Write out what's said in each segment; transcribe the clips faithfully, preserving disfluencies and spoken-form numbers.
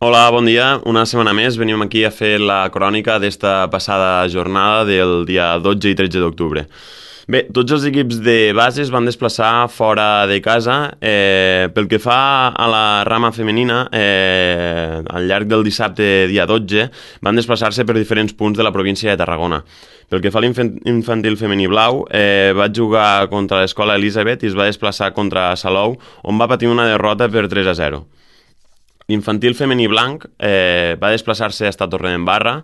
Hola, bon dia. Una setmana més venim aquí a fer la crònica d'esta passada jornada del dia dotze i tretze d'octubre. Bé, tots els equips de base es van desplaçar fora de casa. Eh, pel que fa a la rama femenina, eh, al llarg del dissabte dia dotze van desplaçar-se per diferents punts de la província de Tarragona. Pel que fa a l'infantil femení blau, eh, va jugar contra l'escola Elisabet i es va desplaçar contra Salou, on va patir una derrota per tres a zero. L'infantil femení blanc eh, va desplaçar-se a Torredembarra,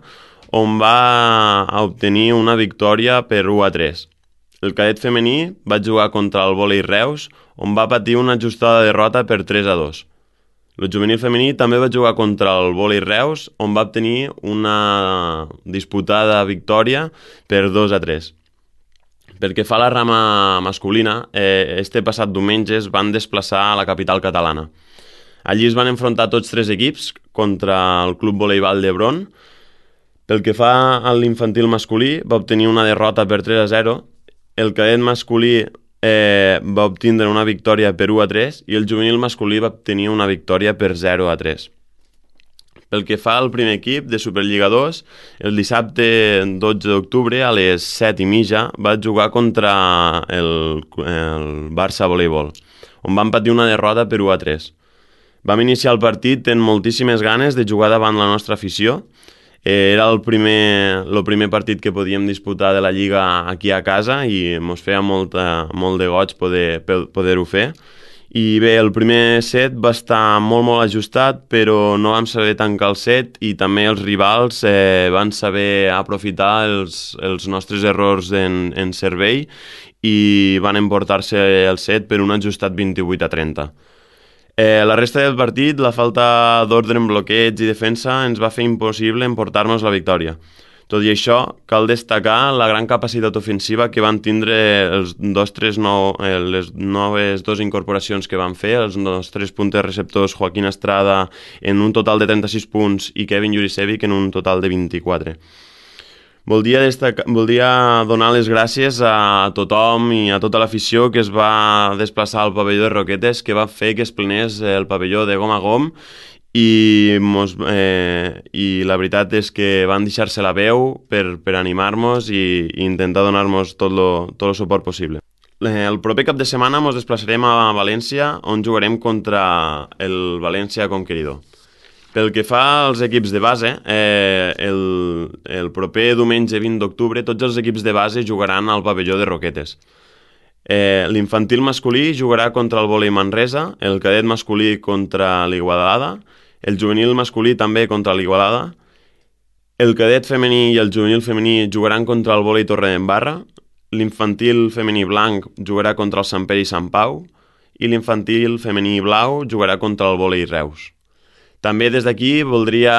on va obtenir una victòria per u a tres. El cadet femení va jugar contra el vòlei Reus, on va patir una ajustada derrota per tres a dos. El juvenil femení també va jugar contra el vòlei Reus, on va obtenir una disputada victòria per dos a tres. Pel que fa a la rama masculina, eh, este passat diumenge es van desplaçar a la capital catalana. Allí es van enfrontar tots tres equips contra el Club Voleibol d'Hebron. Pel que fa a l'infantil masculí, va obtenir una derrota per tres a zero. El cadet masculí eh, va obtenir una victòria per u a tres i el juvenil masculí va obtenir una victòria per zero a tres. Pel que fa al primer equip de Superliga dos, el dissabte dotze d'octubre a les set i mitja va jugar contra el, el Barça Voleibol, on van patir una derrota per u a tres. Vam iniciar el partit amb moltíssimes ganes de jugar davant la nostra afició. Era el primer, el primer partit que podíem disputar de la Lliga aquí a casa i ens feia molt, molt de goig poder, poder-ho fer. I bé, el primer set va estar molt, molt ajustat, però no vam saber tancar el set i també els rivals eh, van saber aprofitar els, els nostres errors en, en servei i van emportar-se el set per un ajustat vint-i-vuit a trenta. Eh, la resta del partit, la falta d'ordre en bloqueig i defensa ens va fer impossible emportar-nos la victòria. Tot i això, cal destacar la gran capacitat ofensiva que van tindre els nostres nou, eh, les noves dues incorporacions que van fer, els nostres puntes receptors Joaquín Estrada en un total de trenta-sis punts i Kevin Jurisevic en un total de vint-i-quatre. Voldria, destacar, voldria donar les gràcies a tothom i a tota l'afició que es va desplaçar al pavelló de Roquetes, que va fer que es plenés el pavelló de gom a gom i, mos, eh, i la veritat és que van deixar-se la veu per, per animar-nos i, i intentar donar-nos tot lo, tot el suport possible. El proper cap de setmana ens desplaçarem a València, on jugarem contra el València Conqueridor. Pel que fa als equips de base, eh, el, el proper diumenge vint d'octubre tots els equips de base jugaran al pavelló de Roquetes. Eh, L'infantil masculí jugarà contra el vòlei Manresa, el cadet masculí contra l'Igualada, el juvenil masculí també contra l'Igualada, el cadet femení i el juvenil femení jugaran contra el vòlei Torredembarra, l'infantil femení blanc jugarà contra el Sant Pere i Sant Pau i l'infantil femení blau jugarà contra el vòlei Reus. També des d'aquí voldria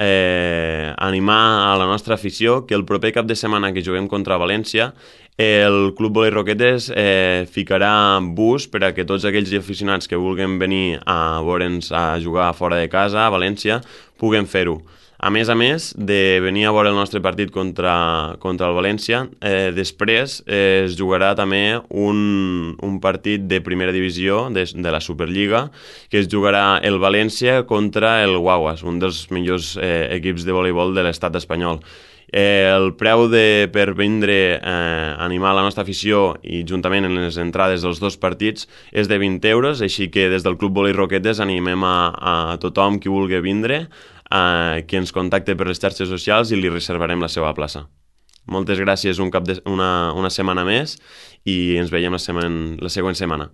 eh, animar a la nostra afició que el proper cap de setmana que juguem contra València el Club Voleibol Roquetes eh, ficarà bus per a que tots aquells aficionats que vulguin venir a veure'ns a jugar fora de casa a València puguen fer-ho. A més a més de venir a veure el nostre partit contra, contra el València, eh, després eh, es jugarà també un, un partit de primera divisió de, de la Superliga, que es jugarà el València contra el Guaguas, un dels millors eh, equips de voleibol de l'estat espanyol. Eh, el preu de, per vindre eh, animar la nostra afició i juntament en les entrades dels dos partits és de vint euros, així que des del Club Voleibol Roquetes animem a, a tothom qui vulgui vindre eh, que ens contacte per les xarxes socials i li reservarem la seva plaça. Moltes gràcies un cap de, una, una setmana més i ens veiem la, setmana, la següent setmana.